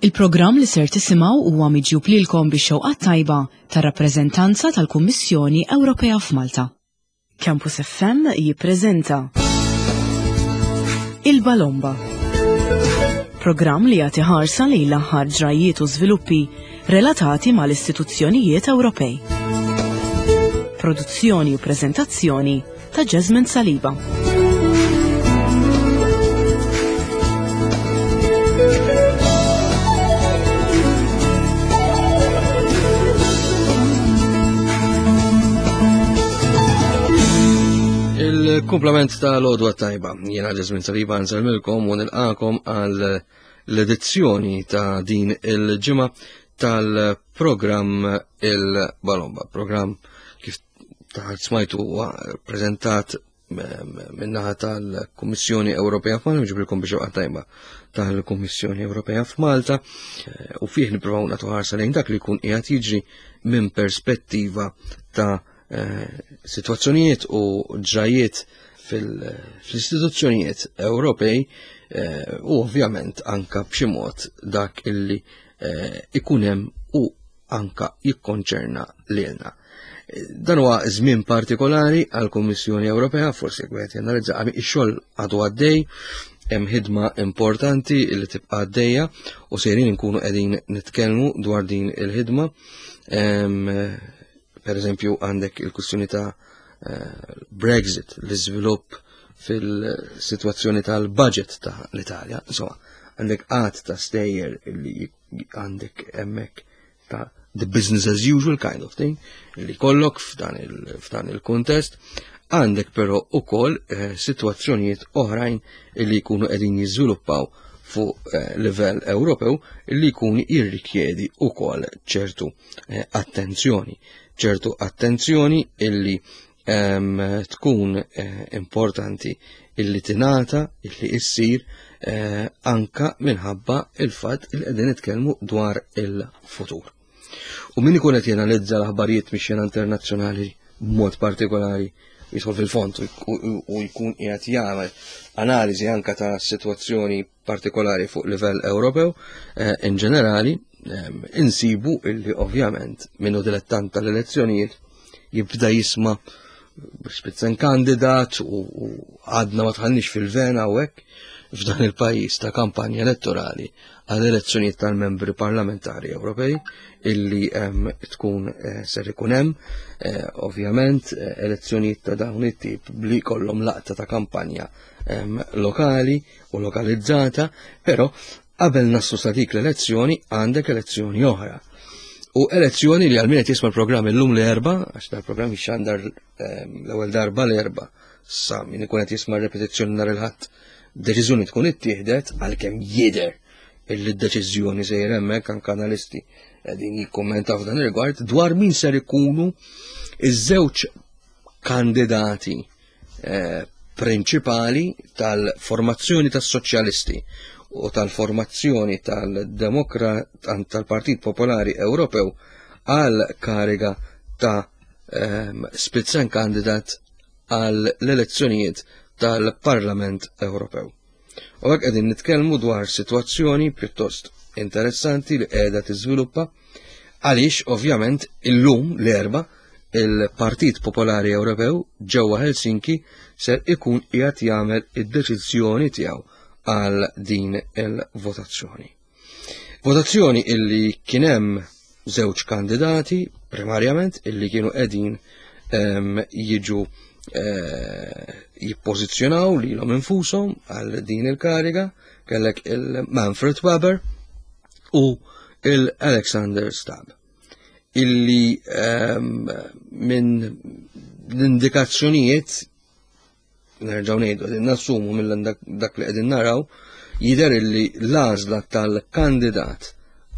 Il-programm li ser tisimgħu huwa miġjub lilkom bix-xewqat tajba tar-rappreżentanza tal-Kummissjoni Ewropea f'Malta. Campus FM jippreżenta Il-Balomba. Programm li jagħti ħarsa lejn l-aħħar ġrajjiet u żviluppi relatati mal-istituzzjonijiet Ewropej. Produzzjoni u preżentazzjoni ta' Jasmine Saliba. Il-kumplament ta' l-odwa tajba, jena Jasmine Saliba nsalmilkom u nilqakom għal l-edizzjoni ta' din il-ġimgħa tal-programm il-Balomba, programm kif taħt smajtu huwa preżentat minnaħa tal-Kummissjoni Ewropea f'Malta, ġibilkom biex tajba tal-Kummissjoni Ewropea f'Malta, eh, u fih nippruvaw nagħtu ħarsa lejn dak li jkun qiegħed jiġri minn perspettiva ta' eh, sitwazzjonijiet u ġrajiet fil-istituzzjonijiet Ewropej eh, u ovvjament anka b'xi mod dak illi ikun hemm u anka jikkonċerna lilna. Dan huwa żmien partikolari għall kummissjoni Ewropea, forsi jekk wieħed janalizza ix-xogħol għadu għaddej, hemm ħidma importanti li tibqa' għaddejja u sejrin inkunu qegħdin nitkellmu dwar din il-ħidma. Per eżempju għandek il-kwistjoni ta' eh, Brexit, l-iżvilupp fil-sitwazzjoni tal-budget ta' l-Italja, insomma, għandek qatt ta' stejjer li għandek hemmhekk ta' the business as usual kind of thing li kollok f'dan il-kontest, għandek però ukoll eh, sitwazzjonijiet oħrajn li jkunu qegħdin jiżviluppaw fuq eh, livell Ewropew li jkun jirrikjedi ukoll ċertu eh, attenzjoni. ċertu attenzjoni illi tkun eh, importanti illi tingħata illi issir eh, anka minħabba il-fatt il qegħdin nitkellmu dwar il-futur. U min ikun qed jenalizza l-aħbarijiet mix-xena internazzjonali b'mod partikolari jidħol fil-fond u jkun qiegħed jagħmel analiżi anka ta' sitwazzjoni partikolari fuq livell Ewropew, eh, in ġenerali, ehm, insibu illi ovvjament minnu dilettant tal-elezzjonijiet jibda jisma spitzen kandidat u għadna ma tħannix fil-vena u hekk f'dan il-pajjiż ta' kampanja elettorali għal elezzjonijiet tal-membri parlamentari Ewropej illi ehm, tkun eh, ser ikun hemm eh, ovvjament elezzjonijiet ta' dawn it-tip li kollhom laqta ta' kampanja ehm, lokali u lokalizzata, però qabel naslu sa dik l-elezzjoni għandek elezzjoni oħra. U elezzjoni li għal-min qed jisma' l-programm illum l-erba, għax dal-programm jixxandar ehm, l-ewwel darba l-erba, sa min ikun qed jisma' repetizzjoni nhar il-ħadd, deċiżjoni tkun ittieħdet għalkemm jidher illi d-deċiżjoni sejjer hemmhekk anke analisti qegħdin jikkummentaw f'dan ir-rigward dwar min ser ikunu iż-żewġ kandidati eh, prinċipali tal-formazzjoni tas-soċjalisti u tal-formazzjoni tal-Demokrat tal-Partit Popolari Ewropew għal kariga ta' ehm, Spitzenkandidat għal l-elezzjonijiet tal-Parlament Ewropew. U hekk qegħdin nitkellmu dwar sitwazzjoni pjuttost interessanti li qiegħda tiżviluppa għaliex ovvjament illum l-erba il-Partit Popolari Ewropew ġewwa Helsinki ser ikun qiegħed jagħmel id-deċiżjoni tiegħu għal din il-votazzjoni. Votazzjoni illi kien hemm żewġ kandidati primarjament illi kienu qegħdin ehm, jiġu eh, jippożizzjonaw lilhom infushom għal din il-kariga, kellek il-Manfred Weber u il-Alexander Stab illi ehm, minn l-indikazzjonijiet nerġgħu ngħidu qegħdin nassumu mill dak li qegħdin naraw jidher illi l-għażla tal-kandidat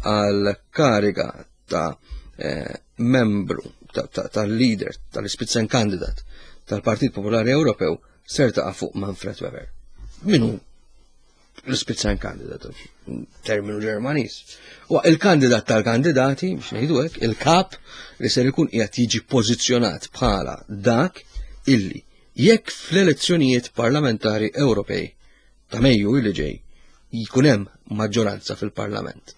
għal kariga ta' eh, membru tal-leader tal-Spitzen kandidat tal-Partit Popolari Ewropew ser taqa' fuq Manfred Weber. Minu l-Spitzen kandidat, terminu Ġermaniż. U il-kandidat tal-kandidati, biex ngħidu hekk, il-kap li ser ikun qiegħed jiġi pożizzjonat bħala dak illi jekk fl-elezzjonijiet parlamentari Ewropej ta' Mejju li ġej jkun hemm maġġoranza fil-Parlament.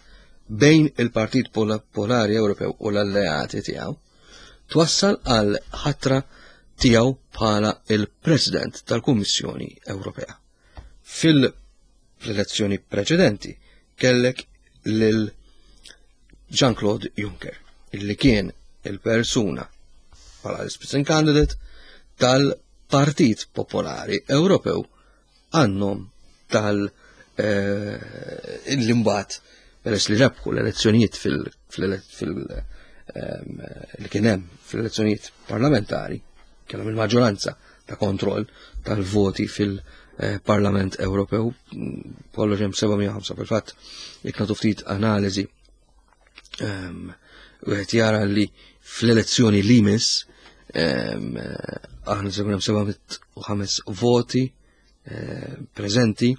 bejn il-Partit Popolari Ewropew u l-alleati tiegħu twassal għal ħatra tiegħu bħala il-President tal-Kummissjoni Ewropea. Fil-elezzjoni preċedenti kellek lil Jean-Claude Juncker, illi kien il-persuna bħala l-Spitzenkandidat tal-Partit Popolari Ewropew għannom tal eh, illi mbagħad peress li rebħu l-elezzjonijiet fil ehm, li kien hemm fl-elezzjonijiet parlamentari kellhom il-maġġoranza ta' kontroll tal-voti fil-Parlament Ewropew kollox hemm 705 fil-fatt jekk nagħtu ftit analiżi ehm, wieħed jara li fl-elezzjoni li jmiss ehm, aħna se jkun hemm 705 voti eh, preżenti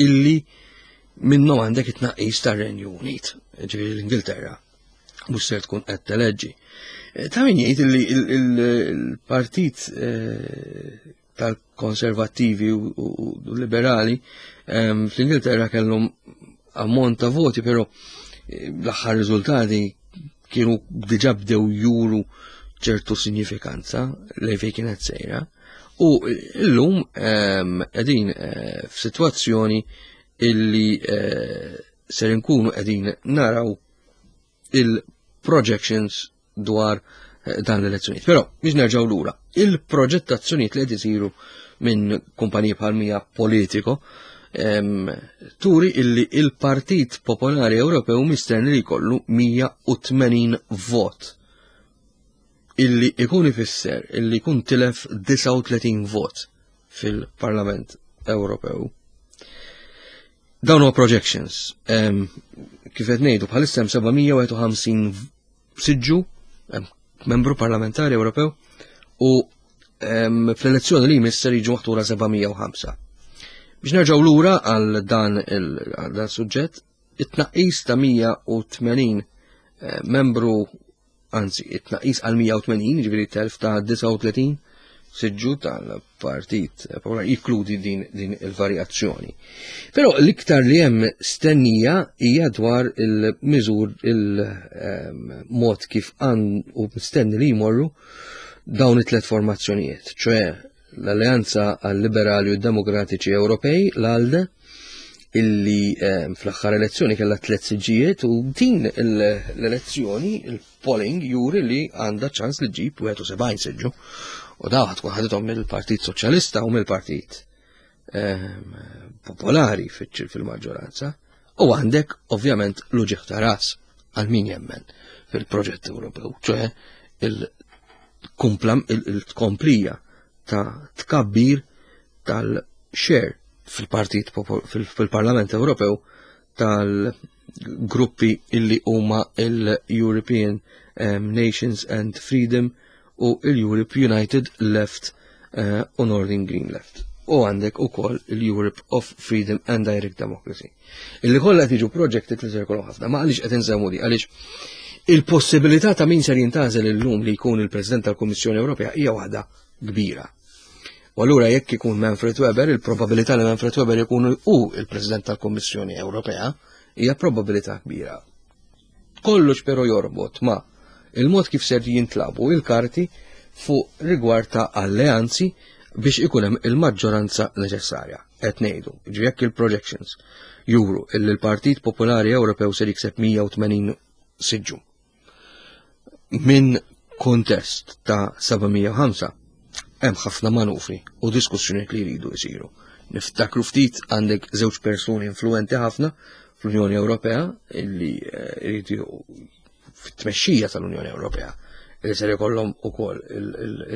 illi minnhom għandek it-tnaqqis tar-Renju Unit, ġifieri l-Ingilterra mhux ser tkun qed teleġġi. Eh, ta' min jgħid li il-partit eh, tal-konservattivi u liberali ehm, fl-Ingilterra kellhom ammont ta' voti, però eh, l-aħħar riżultati kienu diġà bdew juru ċertu sinjifikanza lejn fejn kienet sejra. U llum ehm, qegħdin eh, f'sitwazzjoni illi eh, ser inkunu qegħdin naraw il-projections dwar eh, dan l-elezzjonijiet. Però biex nerġgħu lura, il-proġettazzjonijiet li qed isiru minn kumpaniji bħal mija Politico ehm, turi illi il-Partit Popolari Ewropew mistenni li jkollu 180 vot illi ikun ifisser illi jkun tilef 39 vot fil-Parlament Ewropew. Dawn huwa projections. Kif qed ngħidu bħalissa hemm 751 siġġu membru parlamentari Ewropew u fl-elezzjoni li jmiss ser jiġu maħtura 705. Biex nerġgħu lura għal dan il-suġġett, it-tnaqqis ta' 180 eh, membru anzi, it-tnaqqis għal 180, ġifieri telf ta' 39 siġġu tal-Partit Popolari jikludi din, din il-varjazzjoni. Però l-iktar li hemm stennija hija dwar il-miżur il-mod kif għan u mistenni li jmorru dawn it-tlet formazzjonijiet, ċoe l-Alleanza għal-Liberali u Demokratiċi Ewropej, l-ALDE, illi eh, fl-aħħar elezzjoni kellha tliet siġġijiet u din l-elezzjoni il-polling juri li għandha ċans li ġib 71 siġġu. U daw tkun ħadithom mill-Partit Soċjalista u mill-Partit eh, Popolari fil-maġġoranza. U għandek ovvjament l-uġieħ ta' ras għal min jemmen fil-proġett Ewropew, ċoħe il-tkomplija ta' tkabbir tal-share fil-partit fil-Parlament Ewropew tal-gruppi illi huma il-European um, Nations and Freedom u il-Europe United Left uh, u Northern Green Left. U għandek ukoll il-Europe of Freedom and Direct Democracy. Illi kollha qed jiġu projected li se jkollhom ħafna. Ma għaliex qed insemmu di għaliex il-possibilità ta' min ser jintażel illum li jkun il-President tal-Kummissjoni Ewropea hija waħda kbira. U allura jekk ikun Manfred Weber, il-probabilità li Manfred Weber ikun hu il-President tal-Kummissjoni Ewropea hija probabilità kbira. Kollox però jorbot ma' il-mod kif ser jintlabu il-karti fuq rigward ta' alleanzi biex ikun hemm il-maġġoranza neċessarja. Qed ngħidu, jekk il-projections juru illi l-Partit Popolari Ewropew ser jikseb 180 siġġu. Minn kontest ta' 705 hemm ħafna manufri u diskussjonijiet li jridu jsiru. Niftakru ftit għandek żewġ persuni influenti ħafna fl-Unjoni Ewropea illi eh, jridu fit-tmexxija tal-Unjoni Ewropea li ser ikollhom ukoll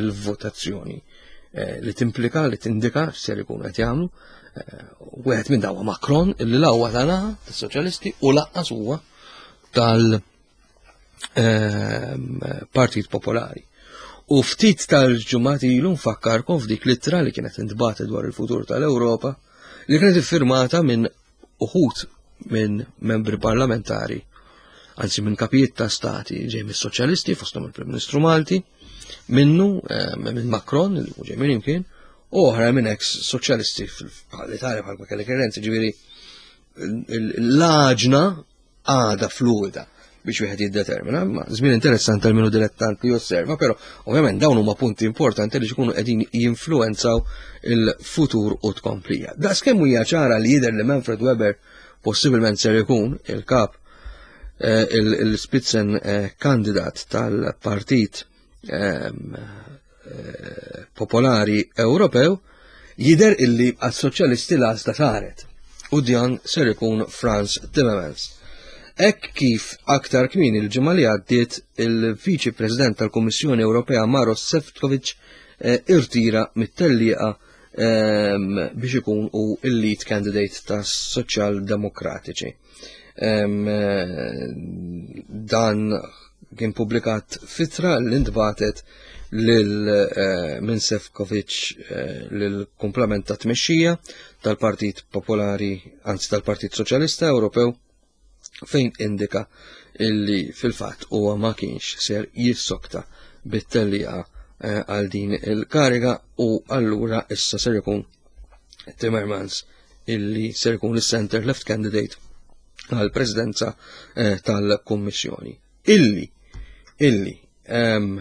il-votazzjoni eh, li timplika li tindika ser ikunu qed jagħmlu. Eh, wieħed minn dawa Macron illi l-ewwa tagħna tas-Soċjalisti u laqqas huwa tal- ehm, Partit Popolari. U ftit tal-ġumati ilu nfakkarkom f'dik l-ittra li kienet intbagħtet dwar il-futur tal-Ewropa li kienet iffirmata minn uħud minn membri parlamentari, anzi minn kapijiet ta' stati ġej mis-soċjalisti fosthom il-Prim Ministru Malti, minnu eh, minn Macron li ġej minn imkien, u oħra minn ex soċjalisti fl-Italja bħal kellek Renzi, ġifieri l-għaġna għada fluida biex wieħed jiddetermina, ma żmien interessanti għal minu dilettant li josserva, però ovvjament dawn huma punti importanti li jkunu qegħdin jinfluwenzaw il-futur u tkomplija. Daqs kemm hija ċara li jidher li Manfred Weber possibilment ser ikun il-kap eh, il-Spitzen eh, kandidat tal-partit ehm, eh, Popolari Ewropew, jidher illi għas-soċjalisti l-għażla saret u dan ser ikun Franz Timmermans. Hekk kif aktar kmieni l-ġimgħa li għaddiet il-Viċi President tal-Kummissjoni Ewropea Maros Sefcovic eh, irtira mit-tellieqa ehm, biex ikun u il-lead candidate tas Soċjal Demokratiċi. Ehm, eh, dan kien publikat fitra li ntbatet lil eh, minn Sefcovic eh, lil komplement ta' tmexxija tal-Partit Popolari, anzi tal-Partit Soċjalista Ewropew fejn indika illi fil-fatt huwa ma kienx ser jissokta bit-tellieqa eh, għal din il-kariga u allura issa ser ikun Timmermans illi ser ikun is-center left candidate għal presidenza eh, tal-Kummissjoni. Illi, illi, ehm,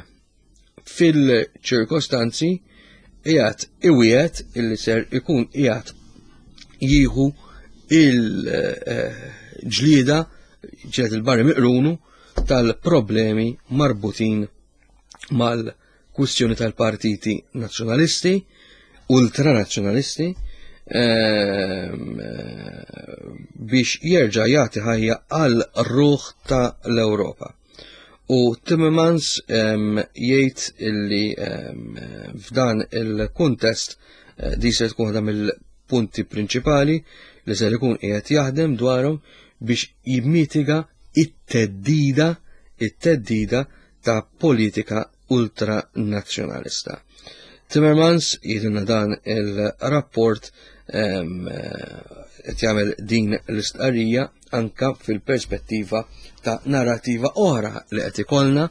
fil-ċirkostanzi qiegħed iwiegħed illi ser ikun qiegħed jieħu il-ġlieda ġiet il-barri miqrunu tal-problemi marbutin mal-kwistjoni tal-partiti nazzjonalisti, ultranazzjonalisti, ehm, biex jerġa' jagħti ħajja għal ruħ ta' l-Ewropa. U Timmermans jgħid illi f'dan il-kuntest eh, di se tkun waħda mill-punti prinċipali li se jkun qiegħed jaħdem dwarhom biex jimmitiga it-teddida it-teddida ta' politika ultranazzjonalista. Timmermans jidilna dan il-rapport qed jagħmel din l-istqarrija anka fil-perspettiva ta' narrativa oħra li qed ikollna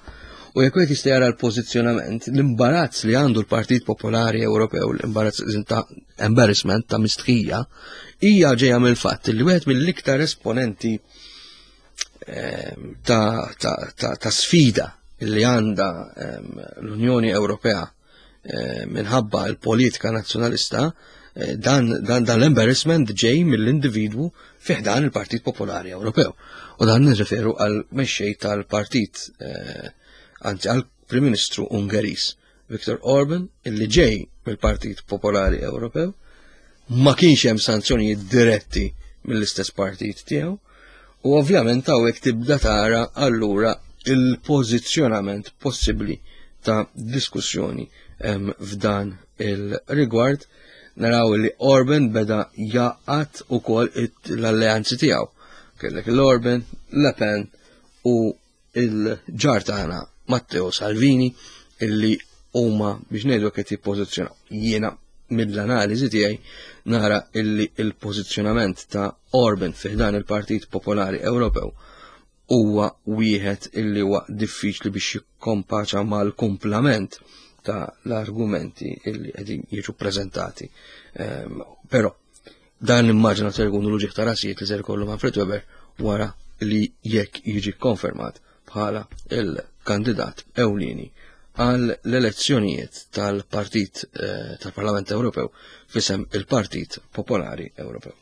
u jekk wieħed jista' jara l-pożizzjonament, l-imbarazz li għandu l-Partit Popolari Ewropew, l-imbarazz ta' embarrassment ta' mistħija, hija ġejja mill-fatt li wieħed mill-iktar esponenti ta', ta, ta, ta sfida li għandha l-Unjoni Ewropea minħabba l-politika nazzjonalista, eh, dan, dan, dan l-embarrassment ġej mill-individwu fih dan il-Partit Popolari Ewropew. U dan nirreferu għal mexxej tal-partit, eh, anzi għal Prim Ministru Ungeris, Viktor Orban, illi ġej mill-Partit Popolari Ewropew, ma kienx hemm sanzjonijiet diretti mill-istess partit tiegħu, u ovvjament hawnhekk tibda tara allura il-pożizzjonament possibbli ta' diskussjoni f'dan il-rigward naraw li Orban beda jaqat ukoll l-alleanzi tiegħu. Kellek l-Orban, Le Pen u il-ġar tagħna Matteo Salvini illi huma biex ngħidu qed jippożizzjonaw. Jiena mill-analiżi tiegħi nara illi il-pożizzjonament ta' Orban fih dan il-Partit Popolari Ewropew huwa wieħed illi huwa diffiċli biex jikkompaċa mal-kumplament ta' l-argumenti illi qegħdin jiġu preżentati. Ehm, però Dan immaġina ser ikunu l-uġigħ ta' rasijiet li ser ikollu Manfred Weber wara li jekk jiġi konfermat bħala il-kandidat ewlieni għal l-elezzjonijiet tal-Partit eh, tal-Parlament Ewropew fisem il-Partit Popolari Ewropew.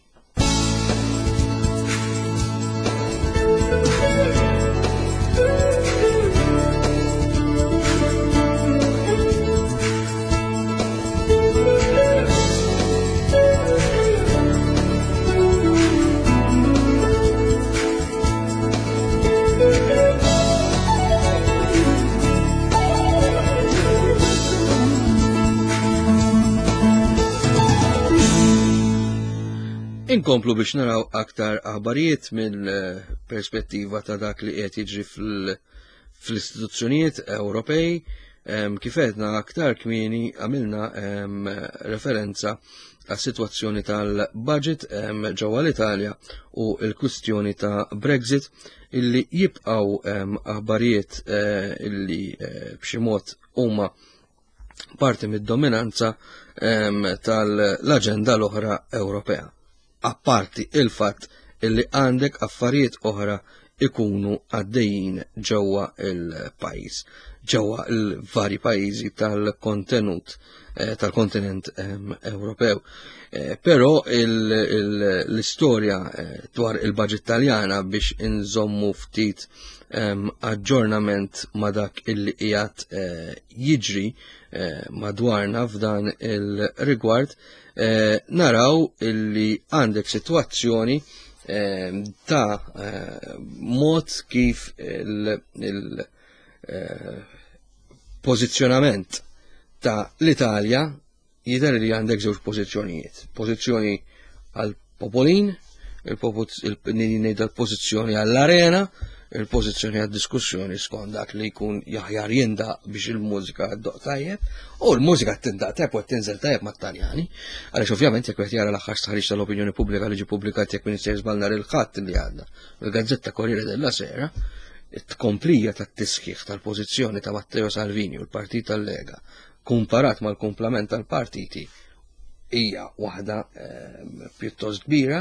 Inkomplu biex naraw aktar aħbarijiet mill-perspettiva ta' dak li qed jiġri fl-istituzzjonijiet Ewropej. Kif għedna aktar kmieni għamilna referenza għas-sitwazzjoni tal-budget ġewwa l-Italja u l-kwistjoni ta' Brexit illi jibqgħu aħbarijiet eh, illi eh, b'xi mod huma parti mid-dominanza tal-aġenda l-oħra Ewropea. Apparti il-fatt illi għandek affarijiet oħra ikunu għaddejjin ġewwa il-pajjiż, ġewwa l-vari pajjiżi tal-kontenut eh, tal-kontinent ehm, Ewropew. Eh, però l-istorja eh, dwar il-budget Taljana biex inżommu ftit ehm, aġġornament ma dak illi qiegħed jiġri madwarna f'dan il-rigward, naraw illi għandek sitwazzjoni ta' mod kif il-pożizzjonament ta' l-Italja jidher li għandek żewġ pożizzjonijiet. Pożizzjoni għal popolin, il-pożizzjoni għall-arena, il-pożizzjoni għad-diskussjoni skont dak li jkun jaħjar jindaq biex il-mużika ddoq tajjeb, u l-mużika tindaq tajjeb u tinżel tajjeb mat-Taljani, għaliex ovvjament jekk qed jara l-aħħar stħarriġ tal-opinjoni pubblika li ġie pubblikat jekk Minister żball nhar il-Ħadd li għadda, il-Gazzetta Corriere della Sera, it-tkomplija tat-tisħiħ tal-pożizzjoni ta' Matteo Salvini u l-Partit tal-Lega kumparat mal-kumplament tal-partiti hija waħda ehm, pjuttost kbira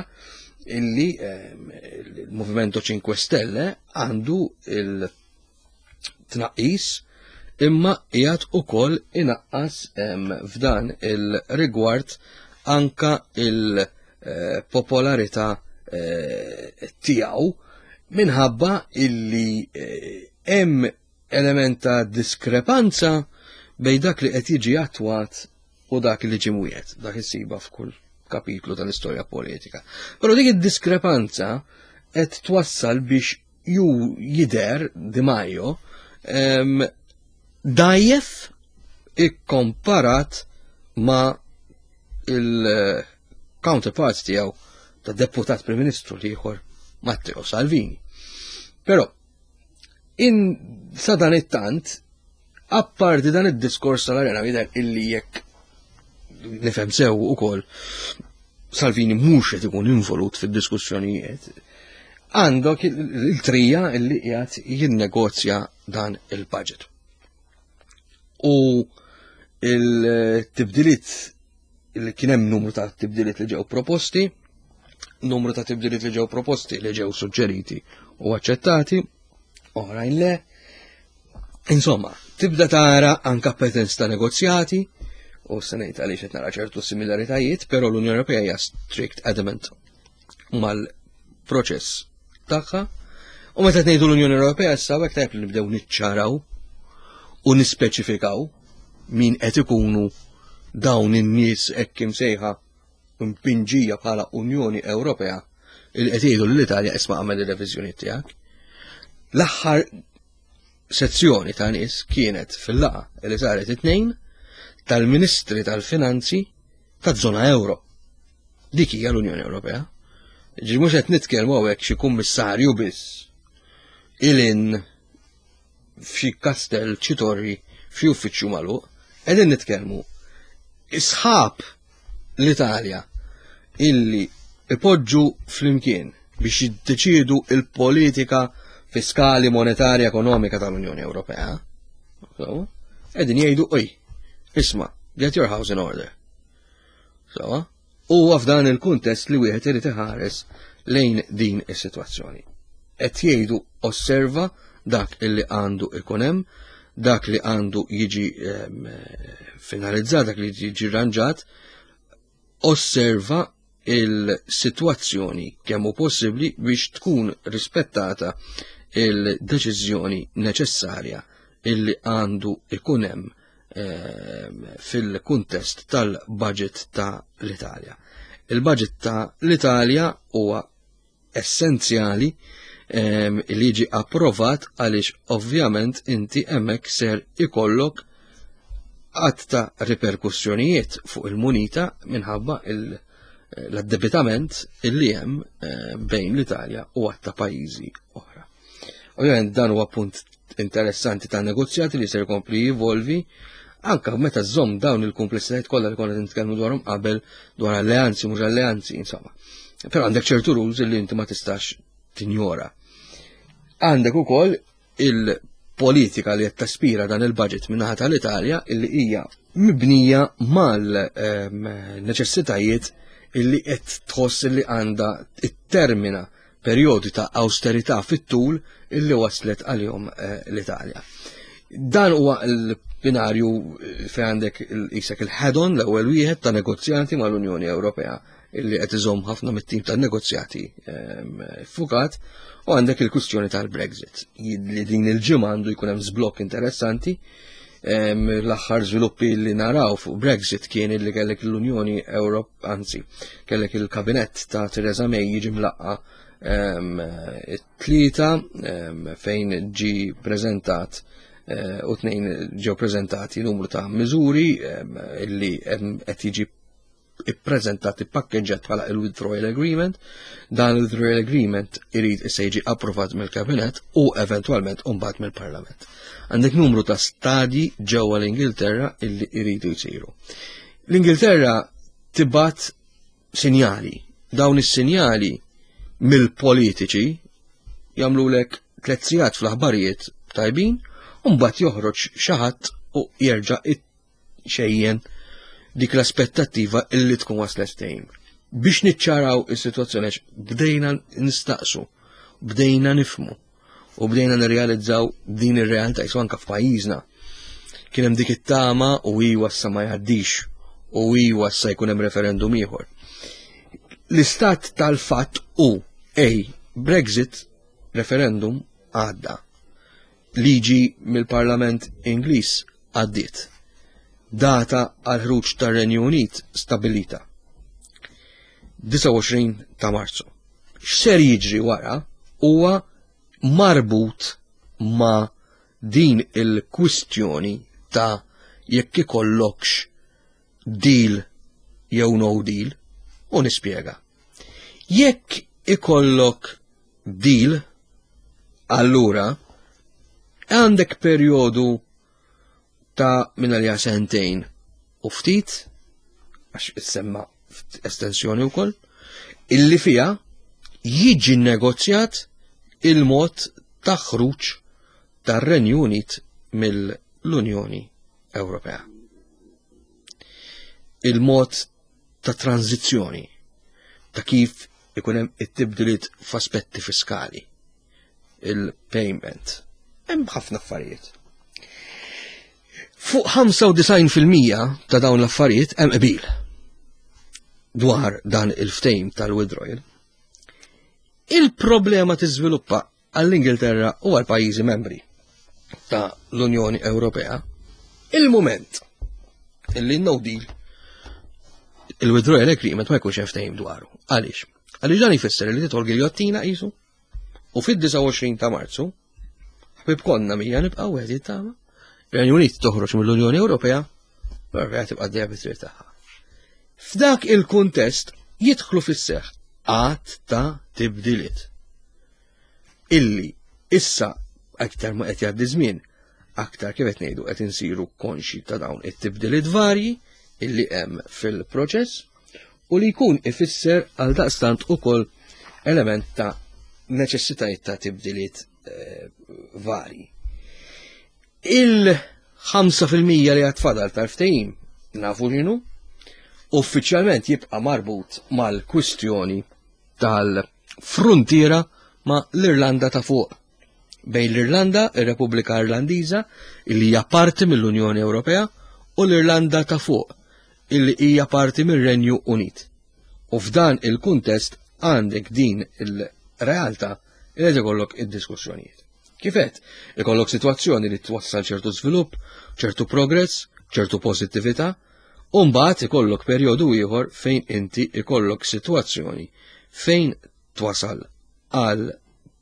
illi ehm, il-Movimento 5 Stelle għandu il-tnaqqis imma qiegħed ukoll inaqqas ehm, f'dan il-rigward anka il-popolarità eh, tiegħu minħabba illi eh, hemm element ta' diskrepanza bejn dak li qed jiġi attwat u dak li ġie mwiegħed, dak issiba f'kull kapitlu tal-istorja politika. Però dik id-diskrepanza qed twassal biex ju jider Di Maio dajjef ikkomparat ma' il-counterpart tiegħu ta' deputat Prim Ministru l-ieħor Matteo Salvini. Però in sa dan it-tant Apparti dan id-diskors tal-arena jidher illi jekk nifhem sew ukoll Salvini mhux qed ikun involut fid-diskussjonijiet, għandok il-trija illi qiegħed jinnegozja dan il-budget. U il-tibdiliet li kien hemm numru ta' tibdiliet li ġew proposti, numru ta' tibdiliet li ġew proposti li ġew suġġeriti u aċċettati, oħrajn le. Insomma, tibda tara anka patterns ta' negozjati, u se ngħid għaliex qed nara ċertu similaritajiet, però l-Unjoni Ewropea hija strict adamant mal-proċess tagħha. U meta ngħidu l-Unjoni Ewropea issa hekk tajjeb li nibdew niċċaraw u nispeċifikaw min qed ikunu dawn in-nies hekk imsejħa mpinġija bħala Unjoni Ewropea il qed jgħidu l-Italja isma' għamel ir-reviżjoni tiegħek. L-aħħar sezzjoni ta' nies kienet fil-laqa li saret it-tnejn tal-Ministri tal-Finanzi taż-żona euro. Dik hija l-Unjoni Ewropea. Ġi mhux qed nitkellmu hawnhekk xi kummissarju biss ilin f'xi kastell, xi torri, f'xi uffiċċju magħluq, qegħdin nitkellmu isħab l-Italja illi ipoġġu flimkien biex jiddeċiedu il-politika fiskali, monetarja, ekonomika tal-Unjoni Ewropea. Qegħdin jgħidu oj, isma' get your house in order. So, Huwa f'dan il-kuntest li wieħed irid iħares lejn din is-sitwazzjoni. Qed jgħidu osserva dak illi għandu ikun hemm, dak li għandu jiġi ehm, finalizzat, dak li jiġi rranġat, osserva il-sitwazzjoni kemm hu possibbli biex tkun rispettata il-deċiżjoni neċessarja illi għandu ikun hemm Ehm, fil-kuntest tal-budget ta' l-Italja. Il-budget ta' l-Italja huwa essenzjali ehm, li jiġi approvat għaliex ovvjament inti hemmhekk ser ikollok għadd ta' riperkussjonijiet fuq il-munita minħabba l-addebitament illi hemm eh, bejn l-Italja u għadd ta' pajjiżi oħra. Ovvjament dan huwa punt interessanti ta' negozjati li ser jkompli jivolvi anka meta żomm dawn il-kumplessitajiet kollha li konna nitkellmu dwarhom qabel dwar alleanzi mhux alleanzi, insomma. Però għandek ċertu rules li inti ma tistax tinjora. Għandek ukoll il-politika li qed taspira dan il-budget min-naħa tal-Italja illi hija mibnija mal-neċessitajiet ehm, illi qed tħoss li għandha it-termina. perjodi ta' austerità fit-tul illi waslet għalihom eh, l-Italja. Dan huwa l-binarju eh, fejn għandek isek il-head-on l-ewwel wieħed ta' negozjati mal-Unjoni Ewropea illi qed iżomm ħafna mit-tim tan-negozjati ehm, fukat u għandek il-kwistjoni tal-Brexit li din il-ġimgħa għandu jkun hemm żblokk interessanti ehm, l-aħħar żviluppi li naraw fuq Brexit kien illi kellek l-Unjoni Ewrop anzi kellek il-kabinett ta' Theresa May jiġi mlaqqa ehm, it-tlieta fejn ġi preżentat eh, u tnejn ġew preżentati numru ta' miżuri illi qed jiġi ippreżentat ippakkeġġat bħala il-withdrawal agreement. Dan il-withdrawal agreement irid issa jiġi approvat mill-Kabinett u eventwalment mbagħad mill-Parlament. Għandek numru ta' stadji ġewwa l-Ingilterra illi jridu jsiru. L-Ingilterra tibgħat sinjali. Dawn is-sinjali mill-politiċi jagħmlulek tliet sigħat fl-aħbarijiet tajbin u mbagħad joħroġ xi ħadd u jerġa' xejjen dik l-aspettattiva illi tkun waslet ftehim. Biex niċċaraw is-sitwazzjoni għax bdejna nistaqsu, bdejna nifmu u bdejna nirrealizzaw din ir-realtà jisu anka f'pajjiżna. Kien hemm dik it-tama u iwa sa ma jgħaddix u iwa sa jkun hemm referendum ieħor. L-istat tal-fatt u ej Brexit referendum għadda. Liġi mill-Parlament Ingliż għaddiet. Data għall-ħruġ tar-Renju Unit stabbilita. 29 ta' Marzu. X'ser jiġri wara huwa marbut ma' din il-kwistjoni ta' jekk ikollokx deal jew no deal u nispjega. Jekk ikollok deal, allura għandek perjodu ta' minn għalija sentejn u ftit, għax issemma estensjoni wkoll, illi fija jiġi negozjat il-mod ta' ħruġ tar-Renju Unit mill-Unjoni Ewropea. Il-mod ta' tranzizzjoni ta' kif ikun hemm it-tibdiliet f'aspetti fiskali, il-payment. Hemm ħafna affarijiet. Fuq 95% ta' dawn l-affarijiet hemm qbil dwar dan il-ftejm tal-withdrawal. Il-problema tiżviluppa għall-Ingilterra u għal pajjiżi membri ta' l-Unjoni Ewropea, il-moment illi no deal il-withdrawal agreement ma jkunx hemm ftehim dwaru. Għaliex? Għaliex dan jfisser li titħol giljottina qisu u fid-29 ta' Marzu ħbib konna mija nibqgħu wieħed jittama. Ir-Renju Unit toħroġ mill-Unjoni Ewropea, Ewropea tibqa' dejja bit-triq tagħha. F'dak il-kuntest jidħlu fis-seħħ għadd ta' tibdiliet illi issa aktar ma qed jgħaddi żmien, aktar kif qed ngħidu qed insiru konxi ta' dawn it-tibdiliet varji illi hemm fil-proċess u li jkun ifisser għal daqstant ukoll element ta' neċessitajiet ta' tibdiliet eh, varji. Il-5% li għad fadal tal-ftehim nafu x'inhu, uffiċjalment jibqa' marbut mal-kwistjoni tal-fruntiera ma' l-Irlanda ta' fuq. Bejn l-Irlanda, ir-Repubblika Irlandiża, illi hija parti mill-Unjoni Ewropea, u l-Irlanda ta' fuq, illi hija parti mir-Renju Unit. U f'dan il-kuntest għandek din il-realtà li qed ikollok id-diskussjonijiet. Kif għedt, ikollok sitwazzjoni li twassal ċertu żvilupp, ċertu progress, ċertu pożittività, u mbagħad ikollok perjodu ieħor fejn inti ikollok sitwazzjoni fejn twasal għal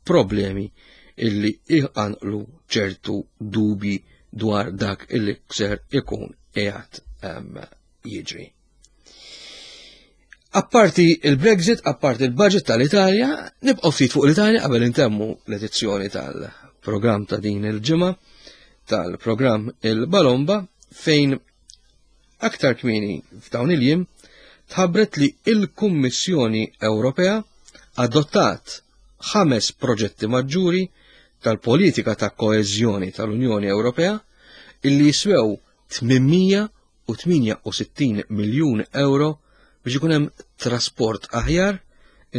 problemi illi iqanqlu ċertu dubji dwar dak illi ser ikun qiegħed ehm, jiġri. Apparti il-Brexit, apparti il-budget tal-Italja, nibqgħu ftit fuq l-Italja qabel intemmu l-edizzjoni tal-programm ta' din il-ġimgħa tal-programm il-Balomba fejn aktar kmieni f'dawn il-jiem tħabbret li il-Kummissjoni Ewropea adottat ħames proġetti maġġuri tal-politika ta' koeżjoni tal-Unjoni Ewropea illi jiswew 800 u 68 miljun ewro biex ikun hemm trasport aħjar,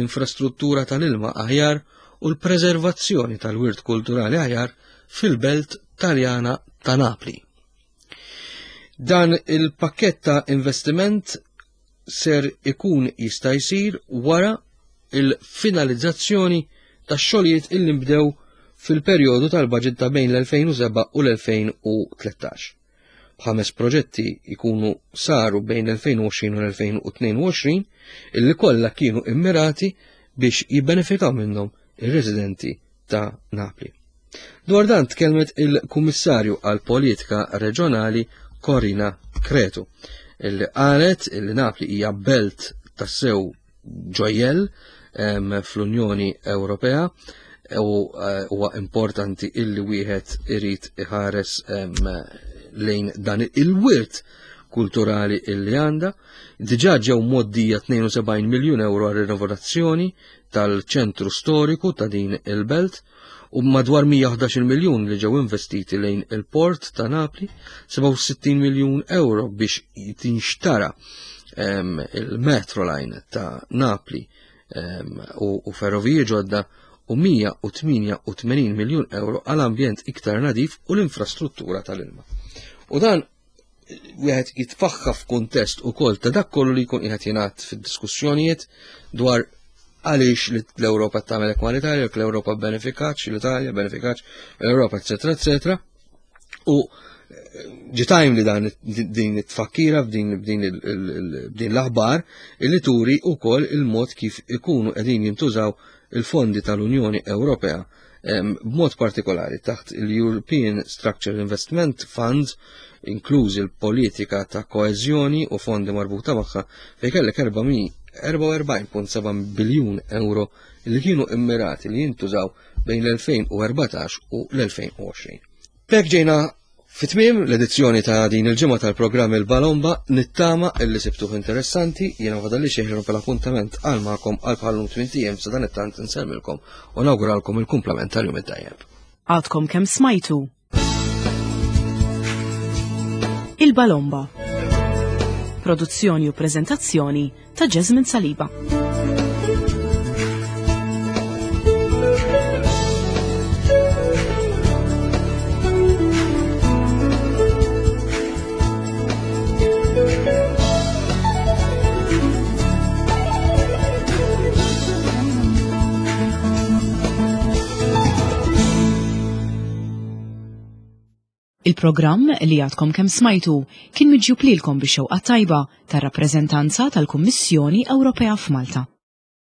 infrastruttura tal-ilma aħjar u l-preservazzjoni tal-wirt kulturali aħjar fil-belt Taljana ta' Napli. Dan il-pakkett ta' investiment ser ikun jista' jsir wara il-finalizzazzjoni tax-xogħlijiet illi nbdew fil-perjodu tal-baġit ta' bejn l-2007 u l-2013. B'ħames proġetti jkunu saru bejn l-2020 u l-2022 illi kollha kienu immirati biex jibbenefikaw minnhom ir-residenti ta' Napli. Dwar dan tkellmet il-Kummissarju għal Politika Reġjonali Corina Cretu, illi qalet illi Napli hija belt tassew ġojjell fl-Unjoni Ewropea u eh, huwa importanti illi wieħed irid iħares lejn dan il-wirt kulturali illi għandha. Diġà ġew moddija 72 miljun euro għal rinnovazzjoni tal-ċentru storiku ta' din il-belt u madwar 111 miljun li ġew investiti lejn il-port ta' Napli, 67 miljun euro biex tinxtara il-metro line ta' Napli u ferroviji ġodda u 188 miljun euro għal ambjent iktar nadif u l-infrastruttura tal-ilma. U dan wieħed jitfaħħa f'kuntest ukoll ta' dak kollu li jkun qiegħed jingħad fid-diskussjonijiet dwar għaliex l-Ewropa tagħmel hekk mal-Italja, jekk l-Ewropa benefikatx, l-Italja benefikatx, l-Ewropa eċetera eċetera. U eh, ġitajm li dan din it-tfakkira b'din b'din l-aħbar illi turi wkoll il-mod kif ikunu qegħdin jintużaw il-fondi tal-Unjoni Ewropea b'mod partikolari taħt il-European Structural Investment Fund, inklużi l-politika ta' koeżjoni u fondi marbuta magħha, fejn kellek 44.7 biljun euro li kienu immirati li jintużaw bejn l-2014 u l-2020. B'hekk ġejna Fi tmiem l-edizzjoni ta' din il-ġimgħa tal-programm Il-Balomba nittama illi sibtuh interessanti, jiena fadalli xi ħin appuntament għal magħkom għal bħallum tmien ijiem sa dan it-tant insellmilkom u nawguralkom il-kumplament tal-jum it-tajjeb. Għadkom kemm smajtu Il-Balomba. Produzzjoni u preżentazzjoni ta' Jasmine Saliba. Il-programm li għadkom kemm smajtu kien miġjub lilkom bix-xewqa tajba tar-rappreżentanza tal-Kummissjoni Ewropea f'Malta.